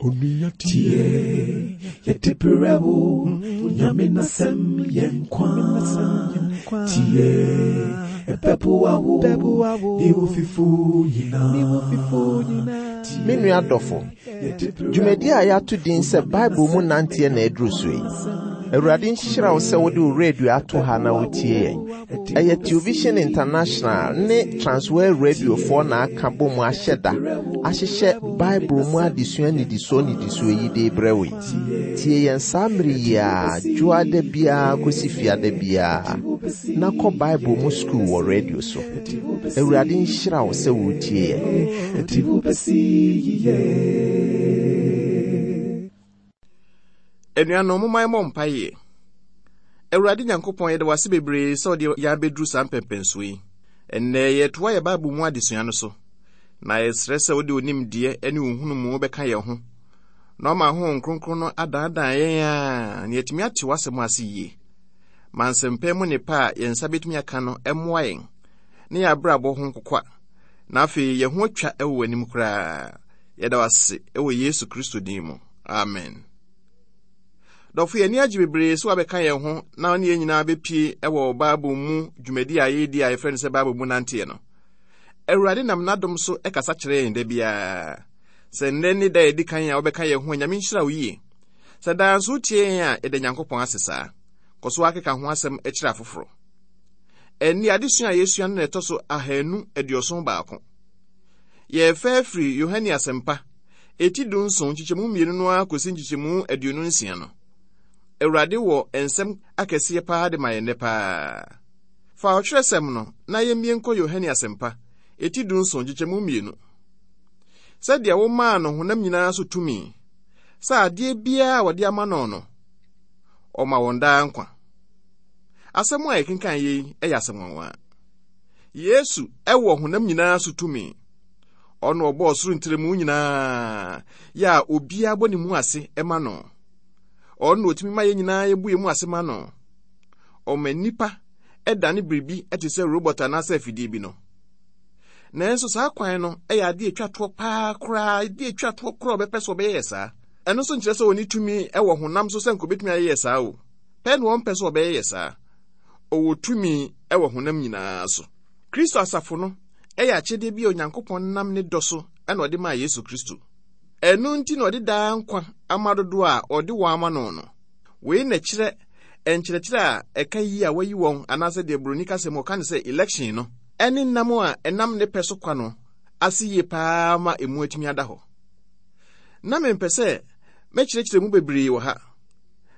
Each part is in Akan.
Tie, yɛde brɛ wo, Nyame n'asɛm yɛ nkwa. Tie, ɛbɛboa wo, ne wo fifo nyinaa. Me nua dɔfo, dwumadi a yɛato din sɛ Bible mu nanteɛ na aduru so yi. Awurade nhyira wo sɛ wode wo radio ato ha na wotie yɛn. Ɛyɛ Television International ne Transworld Radiofoɔ na aka bɔ mu ahyɛ da ahyehyɛ Bible mu adesua nnidisoɔ nnidisoɔ yi de rebrɛ wo yi. Tie yɛn saa mmere yi ara, dwoada biara kɔsi fiada biara, na kɔ Bible mu sukuu wɔ radio so. Awurade nhyira wo sɛ woretie yɛn. Anuanom, momma yɛmmɔ mpaeɛ. Awurade Nyankopɔn, yɛda wo ase bebree sɛ wode yɛn abɛduru saa mpɛmpɛnsoɔ yi. Ɛnnɛ, yɛretoa yɛn Bible mu adesua no so, na yɛsrɛ sɛ wode wo nimdeɛ ne wo nhunumu bɛka yɛn ho, na wama Honhom Kronkron no adaadaa yɛn a na yɛatumi ate w'asɛm ase yie. Ma nsɛmpa mu nnepa a yɛn nsa bɛtumi aka no mmoa yɛn ne yɛn abrabɔ ho nkokwa, na afei yɛn ho atwa wɔ w'anim koraa. Yɛda wo ase wɔ Yesu Kristo din mu. Amen. Dɔfo, yɛn ani agye bebree sɛ wabɛka yɛn ho na ɔne yɛn nyinaa bɛpie wɔ Bible mu dwumadi a yɛredi a yɛfrɛ no sɛ Bible mu nanteɛ no. Awurade nam n'adom so kasa kyerɛ yɛn da biara. Sɛ nnɛ ne da a ɛdi kan a wobɛka yɛn ho a, Nyame nhyira wo yie. Sɛ daa nso wotie yɛn a, yɛda Nyankopɔn ase saa. Kɔ so ara keka ho asɛm kyerɛ afoforo. Ɛnne adesua a yɛsua no na ɛtɔ so 271. Yɛrefa afiri Yohane Asɛmpa, eti dunson, nkyekyɛmu mmienu no ara kɔsi nkyekyɛmu 26 no. Awurade wɔ nsɛm akɛseɛ paa de ma yɛn nnɛ paa. Fa ɔtwerɛsɛm no na yɛmmie nkɔ Yohane Asɛmpa, eti dunson, nkyekyɛmu mmienu. Sɛdeɛ womaa no honam nyinaa so tumi, sɛ adeɛ biara a wɔde ama no no, ɔma wɔn daa nkwa. Asɛm a yɛkenkan yei yɛ asɛm nwanwa. Yesu wɔ honam nyinaa so tumi. Ɔno ɔbɔɔ soro ntrɛmu nyinaa, yɛ a obiara bɔ ne mu ase ma no. Ɔno na otumi ma yɛn nyinaa yɛbu yɛn mu ase ma no. Ɔma nnipa dane biribi te sɛ robot anaasɛ afidie bi no. Nanso saa kwan no yɛ adeɛ atwa toɔ paa koraa, adeɛ atwa toɔ koraa ɔbɛpɛ sɛ ɔbɛyɛ yɛ saa. Ɛno nso nkyerɛ sɛ ɔnni tumi wɔ honam so sɛ nka obɛtumi ayɛ yɛ saa o. Pɛ na ɔmpɛ sɛ ɔbɛyɛ yɛ saa. Ɔwɔ tumi wɔ honam nyinaa so. Kristo asafo no yɛ akyɛdeɛ bi a Onyankopɔn nam ne dɔ so na ɔde maa Yesu Kristo. Ɛno nti na ɔde daa nkwa ama dodoɔ a ɔde wɔn ama no no. Wei na ɛkyerɛ nkyerɛkyerɛ a ɛka yi a wayi wɔn anaasɛ deɛ buroni kasa mu ɔka no sɛ election no ne nam a ɛnam ne pɛ so kwa no ase yie paa ma emu atumi ada hɔ. Na mempɛ sɛ mɛkyerɛkyerɛ mu bebree wɔ ha,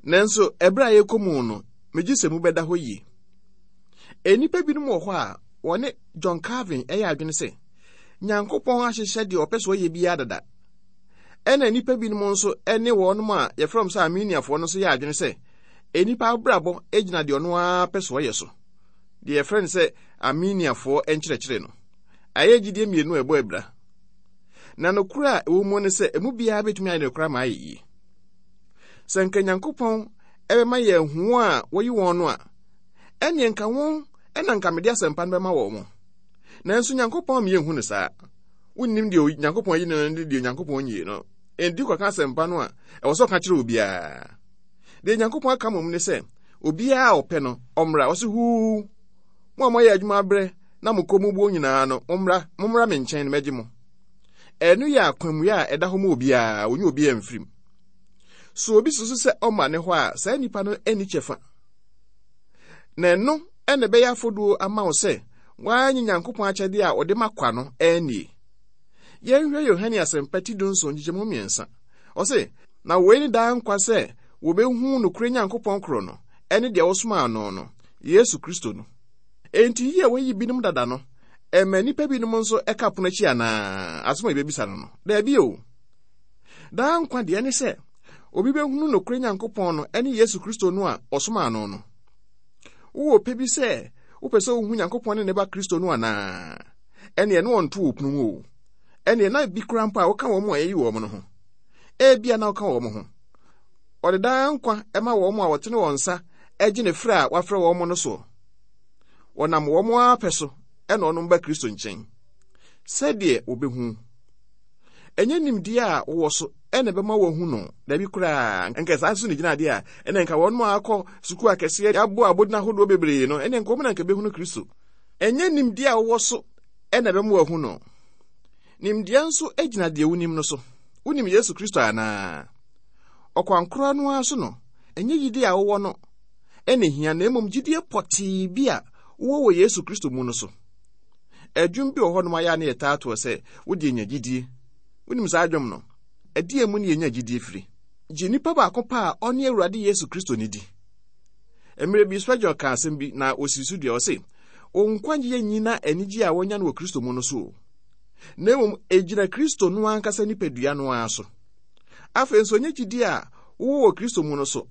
nanso ɛberɛ a yɛrekɔ mu no, megye sɛ mu bɛda hɔ yie. Nnipa binom wɔ hɔ a wɔne John Calvin yɛ adwene sɛ Nyankopɔn ahyehyɛ deɛ ɔpɛ sɛ ɔyɛ biara dada. Ɛna nnipa binom nso ne wɔnom a yɛfrɛ wɔn sɛ Arminiafoɔ no nso yɛ adwene sɛ nnipa abrabɔ gyina deɛ ɔno ara pɛ sɛ ɔyɛ so. Deɛ yɛfrɛ no sɛ Arminiafoɔ nkyerɛkyerɛ no. Ayɛ gyidie mmienu a ɛbɔ abira. Na nokorɛ a ɛwɔ mu ne sɛ emu biara bɛtumi ayɛ nokorɛ ama ayɛ yie. Sɛ nka Nyankopɔn ɛbɛma yɛn ahu wɔn a wɔyi wɔn no a, ɛneɛ nka wɔn na nka mede asɛmpa no bɛma wɔn. Nanso Nyankopɔn ama yɛnhu no saa. Wonnim deɛ Onyankopɔn ayi no ne deɛ Onyankopɔn nyii no. Enti kɔka asɛmpa no a, ɛwɔ sɛ ɔka kyerɛ obiara. Deɛ Nyankopɔn aka mmom ne sɛ, obiara a ɔpɛ no, ɔmmra. Ɔse huu, mo a moayɛ adwuma abrɛ na mo kɔn mu buo nyinaa no, mommra, mommra me nkyɛn na mɛgye mo. Ɛno yɛ akwammue a ɛda hɔ ma obiara, wɔnyi obiara mfirim. So obi susu sɛ ɔma ne hɔ a, saa nipa no nni kyɛfa. Na ɛno na ɛbɛyɛ afoduo ama wo sɛ woanye Nyankopɔn akyɛdeɛ a ɔde ma kwa no annie. Yɛnhwɛ Yohane Asɛmpa ti dunson nkyekyɛmu mmiɛnsa. Ɔse, Na wei ne daa nkwa sɛ wɔbɛhu nokorɛ Nyankopɔn koro no, ɛne deɛ wosomaa no no, Yesu Kristo no. Enti yi a wɔayi binom dada no, ɛma nnipa binom nso ka pono akyi anaa? Asɛm a yɛbɛbisa no no, daabi o. Daa nkwa deɛ ne sɛ obi bɛhunu nokorɛ Nyankopɔn no ne Yesu Kristo no a ɔsomaa no no. Wowɔ pɛ bi sɛ wopɛ sɛ wohu Nyankopɔn ne ne ba Kristo no anaa? Ɛneɛ na wɔnto wo pono mu o. Ɛneɛ na bi koraa mpo a woka wɔn a yɛyi wɔn no ho. Ebia na woka wɔn ho. Ɔde daa nkwa ma wɔn a wɔtene wɔn nsa gye ne frɛ a wafrɛ wɔn no soɔ. Wɔnam wɔn ara pɛ so na wɔnom ba Kristo nkyɛn sɛdeɛ wɔbɛhu. Ɛnyɛ nimdeɛ a wowɔ so na ɛbɛma wɔahu no. Dabi koraa, nka saa nso na egyina adeɛ a, ɛna nka wɔn a akɔ sukuu akɛseɛ abɔ abodin ahodoɔ bebree no, ɛne nka wɔn na nka bɛhunu Kristo. Ɛnyɛ nimdeɛ a wowɔ so na ɛbɛma wɔahu no. Nimdeɛ nso gyina deɛ wonim no so. Wonim Yesu Kristo anaa? Ɔkwan korɔ no ara so no, ɛnyɛ gyidie a wowɔ no na ehia, na mmom gyidie pɔtee bi a wowɔ wɔ Yesu Kristo mu no so. Ɛdwom bi wɔ hɔnom ayɛ a na yɛtaa toɔ sɛ, wo deɛ nya gyidie. Wonim saa dwom no? Ɛdeɛn mu ne yɛnya gyidie firi? Gye nipa baako pɛ a ɔne Awurade Yesu Kristo no di. Mmerɛ bi Spurgeon kaa asɛm bi na ɔsii so dua, ɔse, Wo nkwagyeɛ nnyina anigyeɛ a woanya no wɔ Kristo mu no so o, na mmom ɛgyina Kristo no ankasa nipadua no ara so. Afei nso ɛnyɛ gyidie a wowɔ wɔ Kristo mu no so,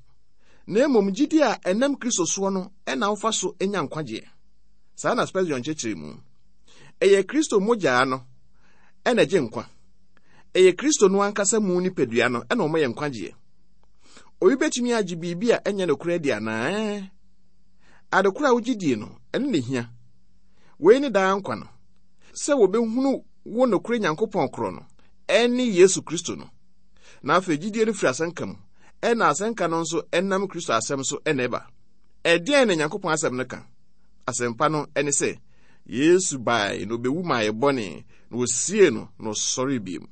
na mmom gyidie a ɛnam Kristo soɔ no na wofa so nya nkwagyeɛ. Saa na Spurgeon kyerɛkyerɛ mu. Ɛyɛ Kristo mogyaa no na ɛgye nkwa. Ɛyɛ Kristo no ankasa mu nipadua no na ɔma yɛ nkwagyeɛ. Obi bɛtumi agye biribi a ɛnyɛ nokorɛ adi anaa? Ɛɛ. Ade koro a wogye die no, ɛno na ehia. Wei ne daa nkwa no, sɛ wɔbɛhunu wo nokorɛ Nyankopɔn korɔ no, ɛne Yesu Kristo no. Na afei gyidie no firi asɛnka mu, ɛna asɛnka no nso ɛnam Kristo asɛm so ɛna ɛba. Ɛdeɛn na Nyankopɔn asɛm no ka? Asɛmpa no ɛne sɛ, Yesu bae na ɔbɛwu maa yɛ bɔne, na wɔsiee no na ɔsɔree bio.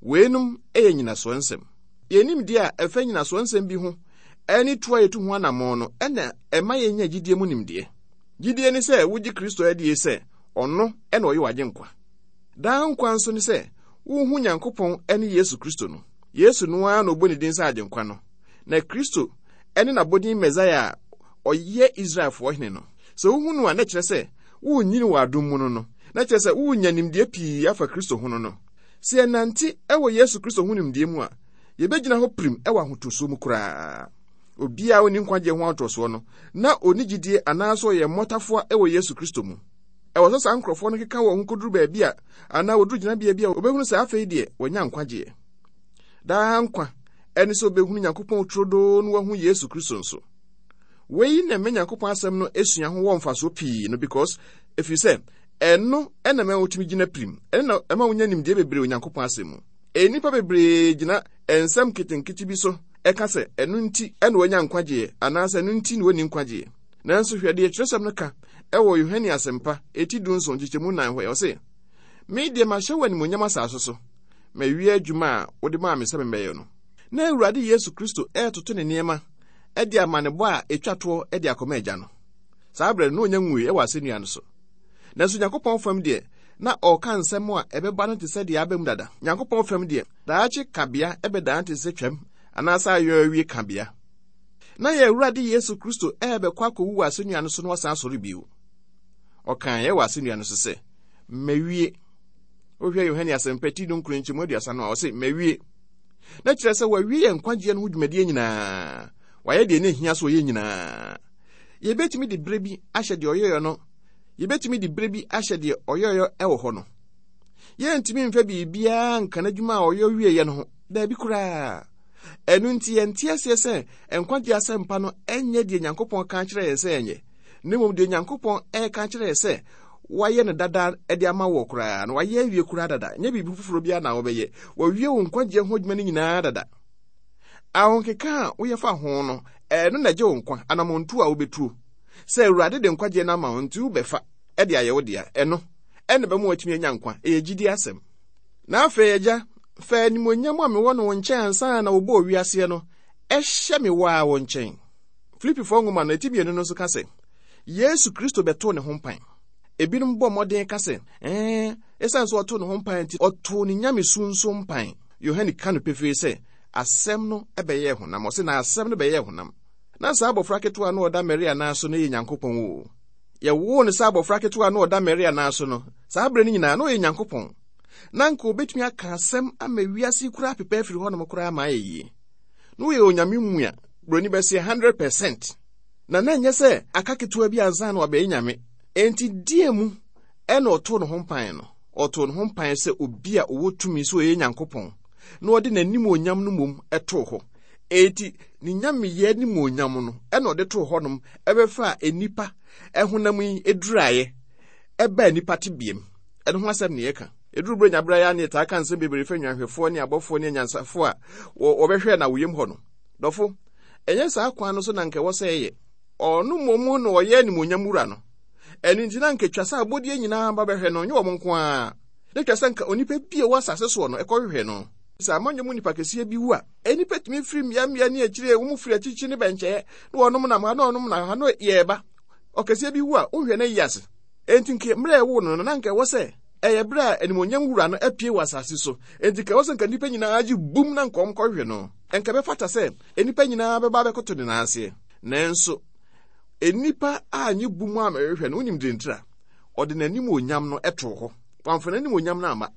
Weinom yɛ nyinasoɔ nsɛm. Yɛn nimdeɛ a ɛfa nyinasoɔ nsɛm bi ho ne tu a yɛtu ho anammɔn no na ɛma yɛnya gyidie mu nimdeɛ. Gyidie ne sɛ wogye Kristo adie sɛ ɔno na ɔyɛ w'agyenkwa. Daa nkwa nso ne sɛ wohu Nyankopɔn ne Yesu Kristo no. Yesu no ara na ɔbɔ ne din sɛ Agyenkwa no, na Kristo ne n'abɔdin Mesaia a ɔyɛ Israelfoɔ hene no. Sɛ wohu no a, na ɛkyerɛ sɛ worenyini wɔ adom mu no no, na kyerɛ sɛ worenya nimdeɛ pii afa Kristo ho no no. Sɛ yɛnante wɔ Yesu Kristo ho nimdeɛ mu a, yebegyina hɔ pirim wɔ ahotosoɔ mu koraa. Obiara a onni nkwagyeɛ ho ahotosoɔ no, na onni gyidie anaasɛ ɔyɛ mmɔtafoa wɔ Yesu Kristo mu. Ɛwɔ sɛ saa nkurɔfoɔ no keka wɔn ho kɔduru baabi a anaa wɔduru gyinabea bi a wɔbɛhunu sɛ afei deɛ wɔanya nkwagyeɛ. Daa nkwa ɛne sɛ wɔbɛhunu Nyankopɔn turodoo na wɔahu Yesu Kristo nso. Wei na ɛma Nyankopɔn asɛm no sua ho wɔ mfasoɔ pii no because ɛfiri sɛ ɛno na ɛma wotumi gyina pirim, ɛno na ɛma wonya nimdeɛ bebree wɔ Nyankopɔn asɛm mu. Nnipa bebree gyina nsɛm nketenkete bi so ɛka sɛ ɛno nti na wɔanya nkwagyeɛ anaasɛ ɛno nti na wɔnni nkwagyeɛ. Nanso hwɛ deɛ twerɛsɛm no ka ɛwɔ Yohane Asɛmpa eti 17 nkyekyɛmu 4 hɔ, ɔse, Me deɛ mahyɛ wo animuonyam asase so, mawie adwuma a wode maa me sɛ memmɛyɛ no. Na Awurade Yesu Kristo retoto ne nneɛma de amanebɔ a etwa toɔ de akɔma Agya no. Saa berɛ no, na ɔnya nwui wɔ asɛnnua no so. Nanso Nyankopɔn fam deɛ, na ɔreka nsɛm a ɛbɛba no te sɛ deɛ aba mu dada. Nyankopɔn fam deɛ, daakye kabea bɛdan te sɛ twam anaasɛ ayɔ awie kabea. Na yɛn Awurade Yesu Kristo rebɛkɔ akɔwu wɔ asɛnnua no so na wasan asɔre bio. Ɔkaeɛ wɔ asɛnnua no so sɛ, Mawie. Wohwɛ Yohane Asɛmpa ti dunkron nkyɛmu 30 no a, ɔse, Mawie. Na kyerɛ sɛ wawie yɛn nkwagyeɛ no ho dwumadie nyinaa. Wayɛ deɛ na ehia sɛ ɔyɛ nyinaa. Yɛbɛtumi de berɛ bi ahyɛ deɛ ɔyɛeɛ no, yɛbɛtumi de berɛ bi ahyɛ deɛ ɔyɛeɛ wɔ hɔ no. Yɛntumi mfa biribiara nka n'adwuma a ɔyɛ wieeɛ no ho, daabi koraa. Ɛno nti yɛnte aseɛ sɛ nkwagyeɛ asɛmpa no nyɛ deɛ Nyankopɔn ka kyerɛ yɛn sɛ yɛnyɛ, na mmom deɛ Nyankopɔn ɛreka kyerɛ yɛn sɛ wayɛ no dada de ama wɔ koraa na wayɛ awie koraa dada, nyɛ biribi foforɔ biara na wɔbɛyɛ. Wawie wo nkwagyeɛ ho adwuma no nyinaa dada. Ahokeka a woyɛ fa ho no, ɛno na ɛgye wo nkwa, anammɔntuo a wobɛtuo. Sɛ Awurade de nkwagyeɛ no ama wo nti wobɛfa de ayɛ wo dea, ɛno ɛna ɛbɛma woatumi anya nkwa. Ɛyɛ gyidie asɛm. Na afei, Agya, fa animuonyam a mewɔ no wo nkyɛn ansa na wɔbɔɔ wiaseɛ no hyɛ me wo ara wo nkyɛn. Filipifoɔ nwoma no, eti mmienu no nso ka sɛ, Yesu Kristo bɛtoo ne ho mpan. Ebinom bɔ mmɔden ka sɛ, ɛɛ, esiane sɛ ɔtoo ne ho mpan nti, ɔtoo ne nyamesu nso mpan. Yohane ka no pefee sɛ, Asɛm no bɛyɛɛ honam. Ɔse, na asɛm no bɛyɛɛ honam. Na saa abɔfra ketewa no ɔda Maria nan so no yɛ Nyankopɔn o. Yɛwoo no sɛ abɔfra ketewa no ɔda Maria nan so no, saa berɛ no nyinaa na ɔyɛ Nyankopɔn. Na anka obetumi aka asɛm ama wiase yi koraa apepa afiri hɔnom koraa ma ayɛ yie. Na ɔyɛ Onyame mua, buroni bɛseɛ 100%. Na na ɛnyɛ sɛ aka ketewa bi ansa na wabɛyɛ Nyame. Enti deɛ mu ɛna ɔtoo ne ho mpan no? Ɔtoo ne ho mpan sɛ obi a ɔwɔ tumi sɛ ɔyɛ Nyankopɔn, na ɔde n'animuonyam no mmom too hɔ. Enti ne nyameyɛ animuonyam no ɛna ɔde too hɔnom ɛbɛfaa nnipa ɛhonam yi eduraeɛ ɛbaa nnipa tebeam. Ɛno ho asɛm na yɛka. Ɛduru berɛ nyaberɛ yɛ a ne yɛtaa ka nsɛm bebree fa nnwanhwɛfoɔ ne abɔfoɔ ne anyansafoɔ a wɔbɛhwɛɛ no awoyam hɔ no. Dɔfo, ɛnyɛ saa kwan no so na anka ɛwɔ sɛ ɛyɛ. Ɔno mmom na ɔyɛ animuonyam wura no. Ɛno nti na anka ɛtwa sɛ abɔdeɛ nyinaa ba bɛhwɛ no, nyɛ wɔn nko ara. Na ɛtwa sɛ anka onipa bi a ɛwɔ asase soɔ no ɛkɔhwehwɛ no. Sɛ amanyɔ mu nipa kɛseɛ bi wu a, nnipa tumi firi mmeammea ne akyire, wɔn firi akyirikyiri ne bɛnkyɛɛ, na wɔnom nam ha, na wɔnom nam ha, na yɛreba. Ɔkɛseɛ bi wu a, wonhwɛ no ayi ase. Enti nka mmerɛ a ɛwoo no no, na anka ɛwɔ sɛ ɛyɛ berɛ a animuonyam wura no apue wɔ asase so. Enti nka ɛwɔ sɛ nka nnipa nyinaa gye bum na nka wɔkɔhwehwɛ no. Nka ɛbɛfata sɛ nnipa nyinaa bɛba abɛkoto ne nan aseɛ. Nanso, nnipa annye bum ammɛhwehwɛ no. Wonim deɛ ntira? Ɔde n'animuonyam no too hɔ. Wamfa n'animuonyam no amma.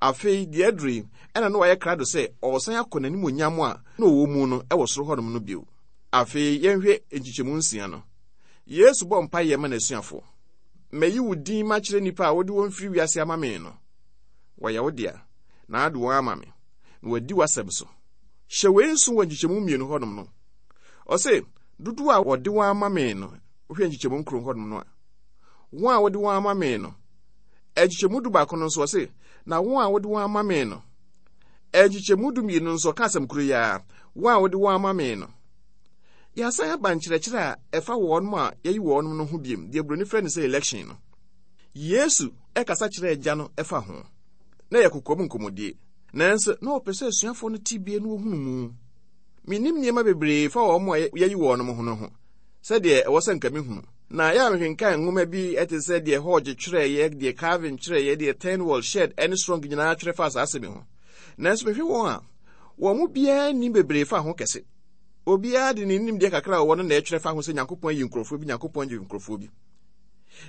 Afei, deɛ aduru yi, ɛna na wayɛ krado sɛ ɔresan akɔ n'animuonyam a na ɔwɔ mu no wɔ soro hɔnom no bio. Afei, yɛnhwɛ nkyekyɛmu nsia no. Yesu bɔ mpaeɛ ma n'asuafoɔ. Mayi wo din makyerɛ nnipa a wode wɔn firi wiase ama me no. Wɔyɛ wo dea, na wode wɔn ama me, na wɔadi w'asɛm so. Hyɛ wei nso wɔ nkyekyɛmu mmienu hɔnom no. Ɔse, dodoɔ a wɔde wɔn ama me no, wohwɛ nkyekyɛmu nkron hɔnom no a, wɔn a wode wɔn ama me no, nkyekyɛmu du baako no nso ɔse, na wɔn a wode wɔn ama me no, nkyekyɛmu du mmienu nso ɔka asɛm koro yi ara, wɔn a wode wɔn ama me no. Yɛasan aba nkyerɛkyerɛ a ɛfa wɔn a yɛayi wɔn no ho biom, deɛ buroni frɛ no sɛ election no. Yesu kasa kyerɛɛ Agya no fa ho. Na ɛyɛ kokoam nkɔmmɔdie. Nanso na ɔpɛ sɛ asuafoɔ no te bie na wɔhunu mu. Mennim nneɛma bebree fa wɔn a yɛayi wɔn ho no ho sɛdeɛ ɛwɔ sɛ nka mehunu. Na yɛ a mekenkan nwoma bi te sɛ deɛ Hodge twerɛeɛ, deɛ Calvin twerɛeɛ, deɛ Turnwell, Shedd ne Strong nyinaa twerɛ faa saa asɛm yi ho. Nanso mehwɛ wɔn a, wɔn mu biara nnim bebree fa ho kɛse. Obiara de ne nimdeɛ kakra a ɔwɔ no na ɛtwerɛ fa ho sɛ Nyankopɔn ayi nkurɔfoɔ bi, Nyankopɔn agye nkurɔfoɔ bi.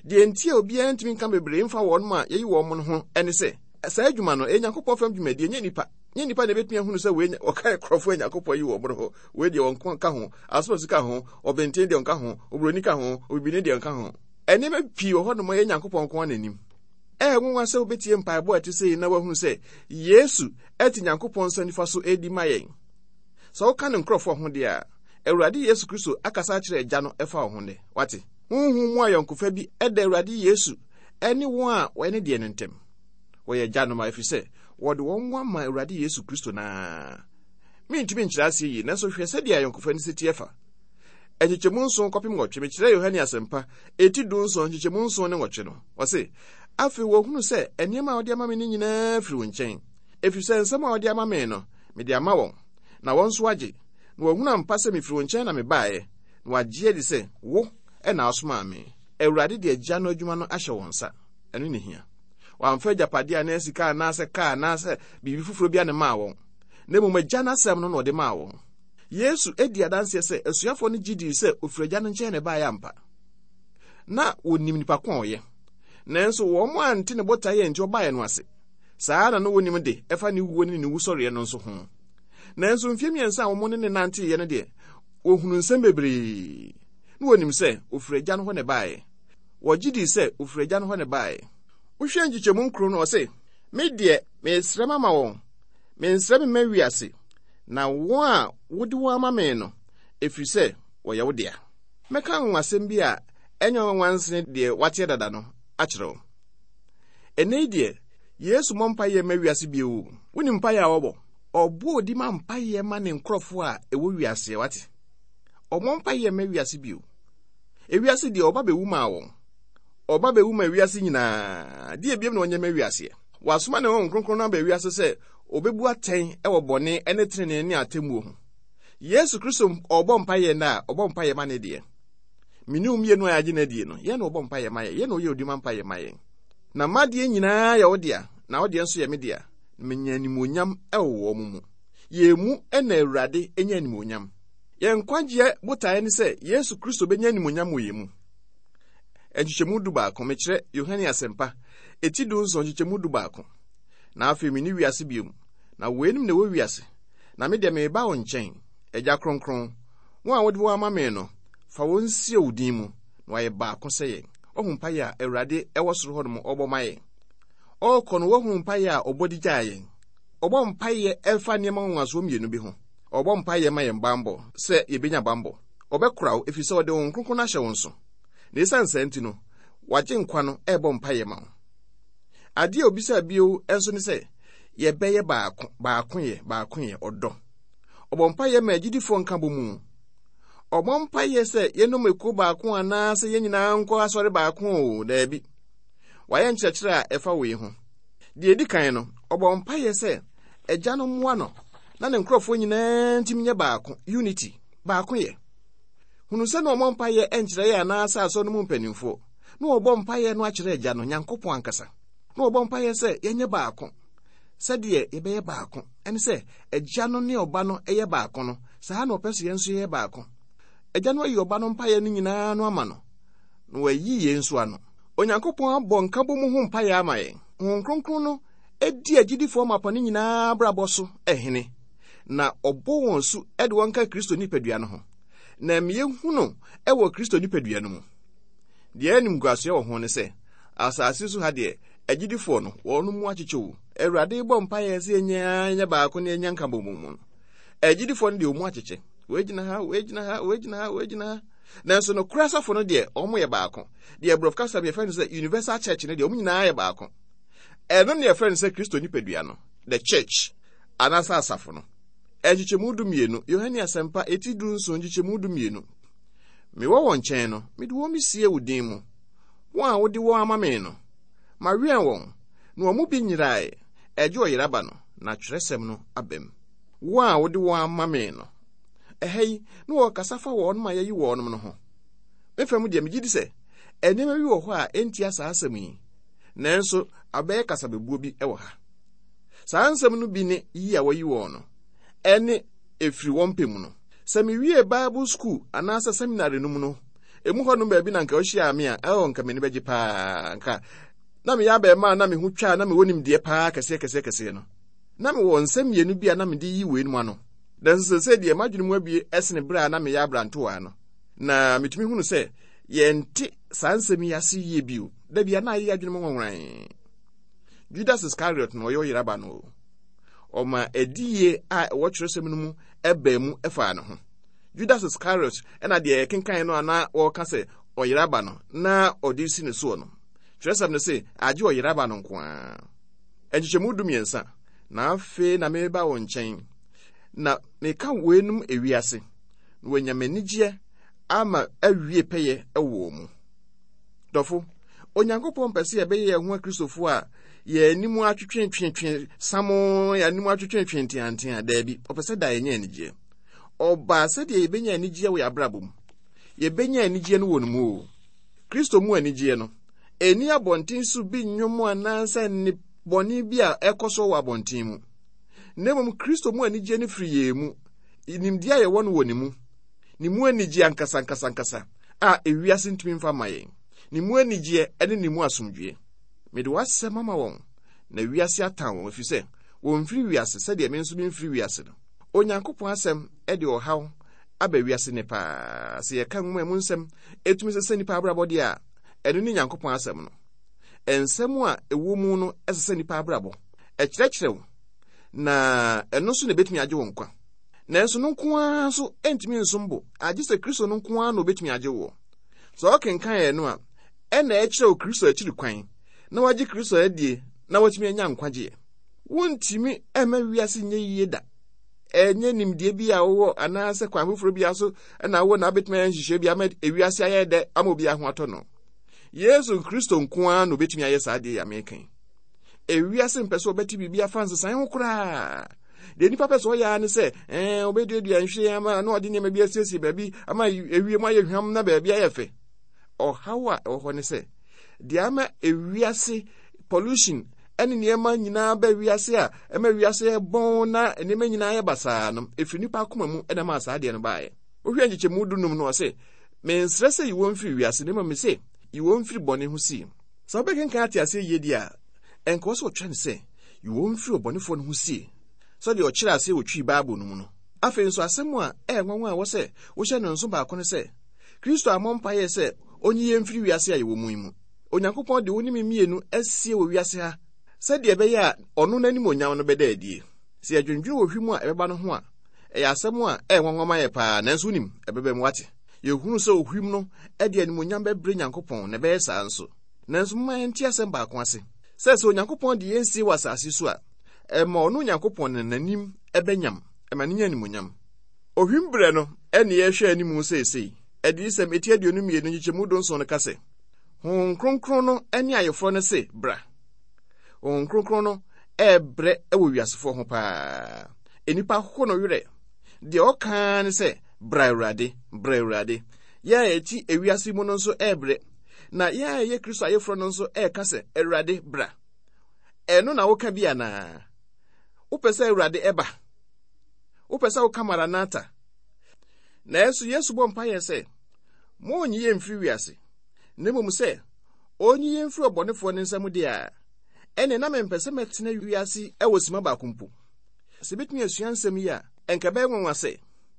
Deɛ nti a obiara ntumi nka bebree mfa wɔn a yɛyi wɔn no ho ne sɛ, saa adwuma no, ɛyɛ Nyankopɔn fam dwumadie, ɛnyɛ nnipa. Nyɛ nnipa na ɛbɛtumi ahunu sɛ wei ɔka nkurɔfoɔ a Nyankopɔn ayi wɔn no ho, wei deɛ ɔnko nka ho, asomasi ka ho, ɔbɛnten deɛ ɔnka ho, oburoni ka ho, obibini deɛ ɔnka ho. Nneɛma pii wɔ hɔnom a ɛyɛ Nyankopɔn nko ara n'anim. Ɛyɛ nwonwa sɛ wobɛtie mpaebɔ a ɛte sɛ yi na woahunu sɛ Yesu te Nyankopɔn nsa nifa so redi ma yɛn. Sɛ woka ne nkurɔfoɔ ho deɛ a, Awurade Yesu Kristo akasa akyerɛ Agya no ɛfa wo ho nnɛ. Wate? Honhom mu ayɔnkofa bi da Awurade Yesu ne wɔn a wɔyɛ ne deɛ no ntam. Wɔyɛ agyanom a ɛfiri sɛ wɔde wɔn ho ama Awurade Yesu Kristo no ara. Mentumi nkyerɛ aseɛ yie, nanso hwɛ sɛdeɛ ayɔnkofa no si teɛ fa. Nkyekyɛmu nson kɔpem nwɔtwe, mekyerɛ Yohane Asɛmpa, eti dunson, nkyekyɛmu nson ne nwɔtwe no. Ɔse, Afei wɔhunu sɛ nneɛma a wode ama me no nyinaa firi wo nkyɛn, ɛfiri sɛ nsɛm a wode ama me no, mede ama wɔn, na wɔn nso agye, na wɔahunu ampa sɛ mefiri wo nkyɛn na mebaeɛ, na wɔagye adi sɛ wo na wosomaa me. Awurade de Agya no adwuma no ahyɛ wɔn nsa. Ɛno na ehia. Wamfa agyapadeɛ anaa sika anaasɛ kaa anaasɛ biribi foforɔ bi a na maa wɔn, na mmom Agya no asɛm no na ɔde maa wɔn. Yesu di adanseɛ sɛ asuafoɔ no gye dii sɛ ɔfiri Agya no nkyɛn na ɛbaeɛ ampa. Na wɔnim nipa ko a ɔyɛ. Nanso wɔn ante ne botaeɛ a enti ɔbaeɛ no ase. Saa ara na na wɔnim de ɛfa ne wuo ne ne wusɔreɛ no nso ho. Nanso mfeɛ mmiɛnsa a wɔn ne ne nanteeɛ no deɛ, wɔhunuu nsɛm bebree. Na wɔnim sɛ ɔfiri Agya no hɔ na ɛbaeɛ. Wɔgye dii sɛ ɔfiri Agya no hɔ na ɛbaeɛ. Wohwɛ nkyekyɛmu nkron no, ɔse, Me deɛ, meresrɛ mama wɔn, mensrɛ memma wiase, na wɔn a wode wɔn ama me no, ɛfiri sɛ wɔyɛ wo dea. Mɛka anwanwasɛm bi a ɛnyɛ nwanwa nsene deɛ woateɛ dada no akyerɛ wo. Ɛnnɛ yi deɛ, Yesu mmɔ mpaeɛ mma wiase bio. Wonim mpaeɛ a ɔbɔ? Ɔbɔ odi ma mpaeɛ ma ne nkurɔfoɔ a ɛwɔ wiaseɛ, wate? Ɔmmɔ mpaeɛ mma wiase bio. Ewiase deɛ ɔba bɛwu maa wɔn. Ɔba bɛwu ma wiase nyinaa. Deɛ biom na ɔnyɛ ma wiaseɛ. Wasoma ne Honhom Kronkron no aba wiase sɛ ɔbɛbu atɛn wɔ bɔne ne tenenee ne atemmuo ho. Yesu Kristo ɔbɔ mpaeɛ nnɛ a, ɔbɔ mpaeɛ ma ne deɛ. Me ne wo mmienu a yɛagye no adie no, yɛn na ɔbɔ mpaeɛ ma yɛn, yɛn na ɔyɛ odima mpaeɛ ma yɛn. Na m'adeɛ nyinaa yɛ wo dea, na wo deɛ nso yɛ me dea, na menya animuonyam wɔ wɔn mu. Yɛn mu na Awurade nya animuonyam. Yɛn nkwagyeɛ botaeɛ ne sɛ Yesu Kristo bɛnya animuonyam wɔ yɛn mu. Nkyekyɛmu du baako, mekyerɛ Yohane Asɛmpa, eti dunson, nkyekyɛmu du baako. Na afei menni wiase bio, na weinom na ɛwɔ wiase, na me deɛ mereba wo nkyɛn, Agya Kronkron, wɔn a wode wɔn ama me no, fa wɔn sie wo din mu, na wɔayɛ baako sɛ yɛn. Wahu mpaeɛ a Awurade ɛwɔ soro hɔ nom ɔbɔ ma yɛn. Ɔrekɔ no, wahu mpaeɛ a ɔbɔ de gyaa yɛn. Ɔbɔ mpaeɛ ɛfa nneɛma nwanwasoɔ mmienu bi ho. Ɔbɔ mpaeɛ ma yɛn bammɔ, sɛ yɛbɛnya bammɔ. Ɔbɛkora wo, ɛfiri sɛ ɔde Honhom Kronkron no ahyɛ wo nso. Na ɛsiane saa nti no, wagye nkwa no ɛrebɔ mpaeɛ ma wo. Adeɛ a obisaa bio nso ne sɛ, yɛbɛyɛ baako, baakoyɛ, baakoyɛ, ɔdɔ. Ɔbɔ mpaeɛ ma agyidifoɔ nkabɔmu. Ɔbɔ mpaeɛ sɛ yɛnom ekuo baako anaasɛ yɛn nyinaa nkɔ asɔre baako o, daabi. Wayɛ nkyerɛkyerɛ a ɛfa wei ho. Deɛ ɛdi kan no, ɔbɔ mpaeɛ sɛ Agya no mmoa no na ne nkurɔfoɔ nyinaa ntumi nyɛ baako, unity, baakoyɛ. Hunu sɛ na ɔmmɔ mpaeɛ nkyerɛ yɛn anaasɛ asɔre no mu mpanimfoɔ. Na ɔbɔ mpaeɛ no akyerɛ Agya no, Nyankopɔn ankasa. Na ɔbɔ mpaeɛ sɛ yɛnyɛ baako, sɛdeɛ yɛbɛyɛ baako. Ɛne sɛ, Agya no ne Ɔba no yɛ baako no, saa na ɔpɛ sɛ yɛn nso yɛyɛ baako. Agya no ayi Ɔba no mpaeɛ no nyinaa no ama no, na wayi yɛn nso ano. Onyankopɔn abɔ nkabom ho mpaeɛ ama yɛn. Honhom Kronkron no di agyidifoɔ mapa no nyinaa abrabɔ so hene, na ɔbɔ wɔn su de wɔn ka Kristo nipadua no ho, na ɛma yɛhu no wɔ Kristo nipadua no mu. Deɛ animguasoɛ wɔ ho ne sɛ, asase so ha deɛ, agyidifoɔ no, wɔn mu akyekyɛ o. Awurade bɔ mpaeɛ sɛ yɛnyɛ nyɛ baako na yɛnya nkabom mu no, agyidifoɔ no deɛ wɔn mu akyekyɛ. Wei gyina ha, wei gyina ha, wei gyina ha, wei gyina ha. Nanso nokorɛ asafo no deɛ, wɔn yɛ baako. Deɛ borɔfo kasa mu yɛfrɛ no sɛ universal church no deɛ, wɔn nyinaa yɛ baako. Ɛno na yɛfrɛ no sɛ Kristo nipadua no, the church, anaasɛ asafo no. Nkyekyɛmu 12, Yohane Asɛmpa, eti 17, nkyekyɛmu 12. Mewɔ wɔn nkyɛn no, mede wɔn mesie wo din mu. Wɔn a wode wɔn ama me no, mawɛn wɔn, na wɔn mu bi nyerae, ɛgye ɔyera ba no, na twerɛsɛm no abam. Wɔn a wode wɔn ama me no. Ɛha yi, na wɔrekasa fa wɔnom a yɛayi wɔnom no ho. Me fam deɛ, megye di sɛ nneɛma bi wɔ hɔ a ɛntia saa asɛm yi, nanso abɛyɛ kasabebuo bi wɔ ha. Saa nsɛm no bi ne yi a wɔayi wɔn no, ɛne ɛfiri wɔn pɛ mu no. Sɛ mewiee Bible sukuu anaasɛ seminary no mu no, emu hɔnom baabi na anka wohyiaa me a, oh, anka m'ani bɛgye paa. Anka na meyɛ abarimaa a na me ho twa a na mewɔ nimdeɛ paa kɛseɛ kɛseɛ kɛseɛ no. Na mewɔ nsɛm mmienu bi a na mede yi weinom ano. Nanso seesei deɛ m'adwene mu abue sene berɛ a na meyɛ aberantewaa no. Na metumi hunu sɛ yɛnte saa nsɛm yi ase yie bio. Da bi a na ayɛ adwene mu nwanwan. Judas Iscariot na ɔyɛ ɔyeraba no o. Ɔma adiyie a ɛwɔ twerɛsɛm no mu baa mu faa ne ho. Judas Iscariot na deɛ yɛkenkan no a na wɔreka sɛ ɔyeraba no na ɔde si ne soɔ no. Twerɛsɛm no se agye ɔyeraba no nko ara. Nkyekyɛmu 13, Na afei na mereba wo nkyɛn, na meka weinom ewiase, na wɔanya m'anigyeɛ ama awie pɛyɛ wɔ wɔn mu. Dɔfo, Onyankopɔn pɛ sɛ yɛbɛyɛ yɛn ho Akristofo a yɛn anim atwetwetwetwe samoo, yɛn anim atwetwetwe nteantea. Daabi, ɔpɛ sɛ daa yɛnya anigyeɛ. Ɔbaa sɛdeɛ yɛbɛnya anigyeɛ wɔ yɛn abrabɔ mu. Yɛbɛnya anigyeɛ no wɔ no mu o. Kristo mu anigyeɛ no, ɛnni abɔnten so bi nnwom anaasɛ nne bɔne bi a ɛkɔ so wɔ abɔnten mu. Na mmom Kristo mu anigyeɛ no firi yɛn mu, nimdeɛ a yɛwɔ no wɔ ne mu, ne mu anigyeɛ ankasa ankasa ankasa a ewiase ntumi mfa mma yɛn, ne mu anigyeɛ ne ne mu asomdwoeɛ. Mede w'asɛm ama wɔn, na wiase atan wɔn, ɛfiri sɛ wɔmfiri wiase sɛdeɛ me nso memfiri wiase no. Onyankopɔn asɛm de ɔhaw aba wiase nnɛ paa. Sɛ yɛka nwoma mu nsɛm ɛtumi sesa nnipa abrabɔ deɛ a, ɛno ne Nyankopɔn asɛm no. Nsɛm a ɛwɔ mu no sesa nnipa abrabɔ. Ɛkyerɛkyerɛ wo, na ɛno nso na ɛbɛtumi agye wo nkwa. Nanso no nko ara nso ntumi nsom bo, agye sɛ Kristo no nko ara na obetumi agye woɔ. Sɛ ɔkenkan ɛno a, ɛna ɛkyerɛ wo Kristo akyiri kwan, na wagye Kristo adie na watumi anya nkwagyeɛ. Wontumi mma wiase nyɛ yie da. Ɛnyɛ nimdeɛ bi a wowɔ anaasɛ kwan foforɔ bi so na wowɔ na wobɛtumi ayɛ nhyehyɛe bi ama ewiase ayɛ dɛ ama obiara ho atɔ no. Yesu Kristo nko ara na obetumi ayɛ saa adeɛ yi a meka yi. Ewiase mpɛ sɛ wɔbɛte biribi afa nsesae ho koraa. Deɛ nipa pɛ sɛ ɔyɛ ara ne sɛ ɛɛ ɔbɛduadua nhwiren ama na ɔde nneɛma bi asiesie baabi ama ewiem ayɛ hwam na baabi ayɛ fɛ. Ɔhaw a ɛwɔ hɔ ne sɛ deɛ ama ewiase pollution ɛne nneɛma nyinaa bɛ wiase a ɛma wiase yɛ bɔn na nneɛma nyinaa yɛ basaa no efiri nipa akoma mu ɛna ɛma saa adeɛ no baeɛ. Wohwɛ nkyekyɛmu 15 no ɔse mensrɛ sɛ yi wɔn mfiri wiase na mmom mese yi wɔn mfiri bɔne ho sie. Sɛ wobɛkenkan ate aseɛ yie deɛ a, ɛnka wɔ sɛ ɔtwerɛ no sɛ, Yi wɔn mfiri ɔbɔnefoɔ no ho sie, sɛdeɛ ɔkyerɛɛ aseɛ wɔ Twi Bible no mu no. Afei nso, asɛm a ɛyɛ nwanwa a ɛwɔ sɛ wohyɛ no nso baako ne sɛ, Kristo ammɔ mpaeɛ sɛ ɔnyi yɛn mfiri wiase a yɛwɔ mu yi mu. Onyankopɔn de wo ne me mmienu asie wɔ wiase ha sɛdeɛ ɛbɛyɛ a ɔno n'animuonyam no bɛda adie. Sɛ yɛdwendwene ohwim a ɛbɛba no ho a, ɛyɛ asɛm a ɛyɛ nwanwa ma yɛn paa, nanso wonim, ɛbɛba mu, woate? Yɛhunu sɛ ohwim no de animuonyam bɛbrɛ Nyankopɔn, na ɛbɛyɛ saa nso. Nanso momma yɛnte asɛm baako ase. Sɛ sɛ Onyankopɔn de yɛn sie wɔ asase so a, ɛma ɔno Onyankopɔn no n'anim bɛnyam, ɛma no nya animuonyam. Ohwim berɛ no ne yɛrehwɛ anim seesei. Adiyisɛm eti 22 nkyekyɛmu 17 no ka sɛ, Honhom Kronkron no ne ayeforɔ no se, Bra. Honhom Kronkron no rebrɛ wɔ wiasefoɔ ho paa. Nnipa ho no werɛ. Deɛ ɔka ara ne sɛ, Bra Awurade, bra Awurade. Yɛn a yɛte ewiase mu no nso rebrɛ. Na yɛn a yɛyɛ Kristo ayeforɔ no nso reka sɛ, Awurade, bra. Ɛno na woka bi anaa? Wopɛ sɛ Awurade ɛba? Wopɛ sɛ woka Maranatha? Nanso Yesu bɔ mpaeɛ sɛ, Monnyi yɛn mfiri wiase, na mmom sɛ ɔnyi yɛn mfiri ɔbɔnefoɔ no nsam deɛ a, ɛnneɛ na mempɛ sɛ mɛtena wiase wɔ sima baako mpo. Sɛ yɛbɛtumi asua nsɛm yi a, ɛnka ɛbɛyɛ nwanwa sɛ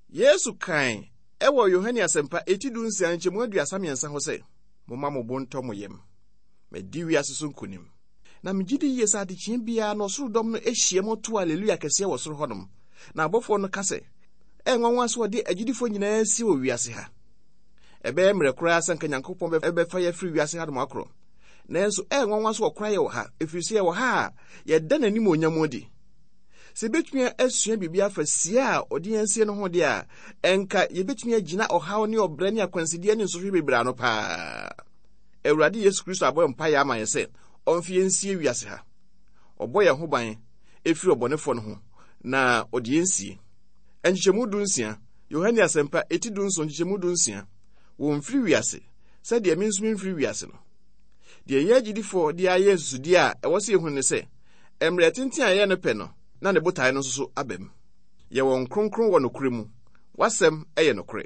Yesu kae wɔ Yohane Asɛmpa eti 16 nkyɛmu 33 hɔ sɛ, Momma mo bo ntɔ mo yam, madi wiase so nkonim. Na megye di yie sɛ adekyeɛ biara no ɔsoro dɔm no hyiam to aleluya kɛseɛ wɔ soro hɔnom, na abɔfoɔ no ka sɛ, Ɛyɛ nwanwa sɛ wɔde agyidifoɔ nyinaa si wɔ wiase ha. Ɛbɛyɛ mmerɛ koraa sɛ anka Nyankopɔn bɛfa yɛ afiri wiase hanom akorɔ. Nanso ɛyɛ nwanwa sɛ wɔkora yɛ wɔ ha, ɛfiri sɛ yɛwɔ ha a yɛda n'animuonyam adi. Sɛ yɛbɛtumi asua biribi afa sie a ɔde yɛn sie no ho deɛ a, ɛnka yɛbɛtumi agyina ɔhaw ne ɔbrɛ ne akwansideɛ ne nsɔhwɛ bebree ano paa. Awurade Yesu Kristo abɔ mpaeɛ ama yɛn sɛ ɔmfa yɛn nsie wiase ha. Ɔbɔ yɛn ho ban ɛfiri ɔbɔnefoɔ no ho na ɔde yɛn sie. Nkyekyɛmu 16, Yohane Asɛmpa, eti 17 nkyekyɛmu 16, Wɔmfiri wiase, sɛdeɛ me nso memfiri wiase no. Deɛ yɛn agyidifoɔ de ayɛ nsusudeɛ a ɛwɔ sɛ yɛhunu ne sɛ, mmerɛ tenten a yɛyɛ no pɛ no, na ne botaeɛ no nso so aba mu. Yɛ wɔn kronkron wɔ nokorɛ mu, w'asɛm yɛ nokorɛ.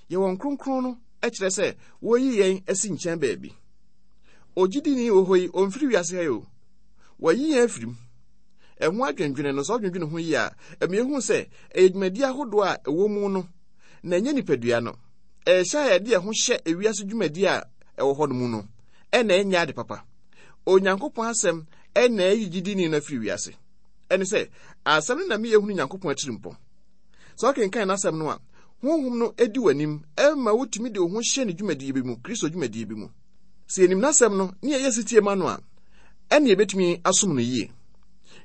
Yɛ wɔn kronkron no kyerɛ sɛ wɔreyi yɛn asi nkyɛn baabi. Ogyidini wɔ hɔ yi, ɔmfiri wiase ha yi o. Wɔayi yɛn afiri mu. Ɛho adwendwene no, sɛ wodwendwene ho yie a, ɛma yɛhu sɛ ɛyɛ dwumadi ahodoɔ a ɛwɔ mu no, na ɛnyɛ nipadua no. Ɛyɛ hyɛ a yɛde yɛn ho hyɛ ewiase dwumadi a ɛwɔ hɔ no mu no, ɛna ɛnyɛ ade papa. Onyankopɔn asɛm ɛna ɛyi gyidini no afiri wiase. Ɛne sɛ, asɛm no na meyɛ hunu Nyankopɔn atirimpɔ. Sɛ wokenkan n'asɛm no a, honhom no di w'anim ma wotumi de wo ho hyɛ ne dwumadie bi mu, Kristo dwumadie bi mu. Sɛ yɛnim n'asɛm no ne yɛyɛ setie ma no a, ɛne yɛbɛtumi asom no yie.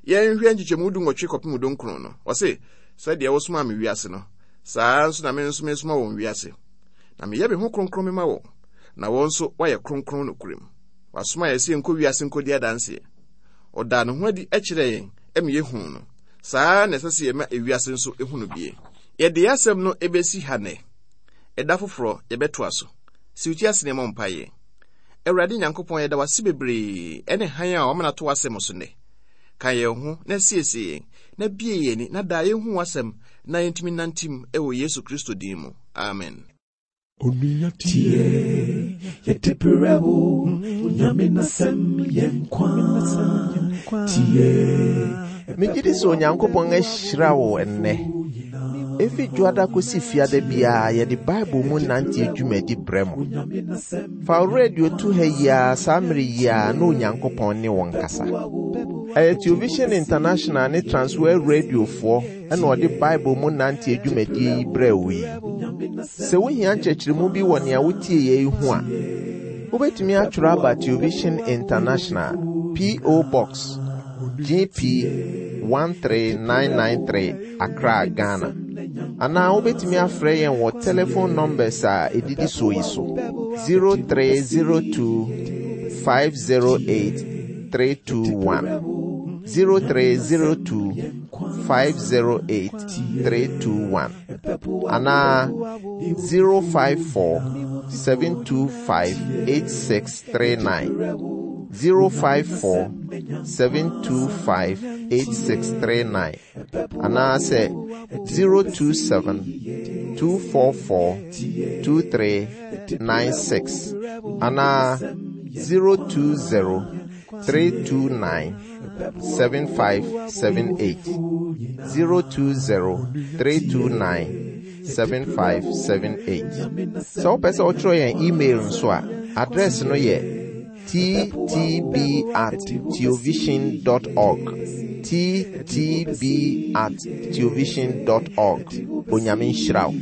Yɛnhwɛ nkyekyɛmu 18 kɔpem 19 no. Ɔse, sɛdeɛ wosomaa me wiase no, saa ara nso na me nso mesoma wɔn wiase. Na meyɛ me ho kronkron mema wɔn, na wɔn nso wɔayɛ kronkron nokorɛm. Wasoma yɛn sɛ yɛnkɔ wiase nkɔdi adanseɛ. Ɔdaa ne ho adi kyerɛɛ yɛn ma yɛhuu no. Saa ara na ɛsɛ sɛ yɛma ewiase nso hu no bie. Yɛde yɛn asɛm no bɛsi ha nnɛ. Ɛda foforɔ yɛbɛtoa so. Si wo ti ase na yɛmmɔ mpaeɛ. Awurade Nyankopɔn, yɛda wo ase bebree ɛne hann a wama no ato w'asɛm so nnɛ. Ka yɛn ho na siesie yɛn, na bue yɛn ani na daa yɛnhu w'asɛm na yɛntumi nnante mu wɔ Yesu Kristo din mu. Amen. Onua tie, yɛde brɛ wo, Onyame n'asɛm yɛ nkwa. Tie. Megye di sɛ Onyankopɔn ahyira wo ɛnnɛ. Efi dwoada kosi fiada biara yɛde Bible mu nante dwumadi brɛ mo. Fa wo radio to ha yi ara saa mmere yi ara na Onyankopɔn ne wo nkasa. Ɛyɛ Television International ne Transworld Radiofoɔ na ɔde Bible mu nante dwumadie yi brɛɛ wo yi. Sɛ wohia nkyerɛkyerɛmu bi wɔ nea wotieeɛ yi ho a, wobɛtumi atwerɛ aba Television International, P.O. Box, GP 13993, Accra, Ghana. Anaa wobɛtumi afrɛ yɛn wɔ telephone numbers a ɛdidi soɔ yi so 0302 508 321 0302 508 321 anaa 054 725 8639 054 725 8639 anaasɛ 027 244 2396 anaa 020 329 7578 020 329 7578. Sɛ wopɛ sɛ wotwerɛ yɛn email nso a, address no yɛ ttb at theovision dot org. ttb at theovision dot org. Onyame nhyira wo.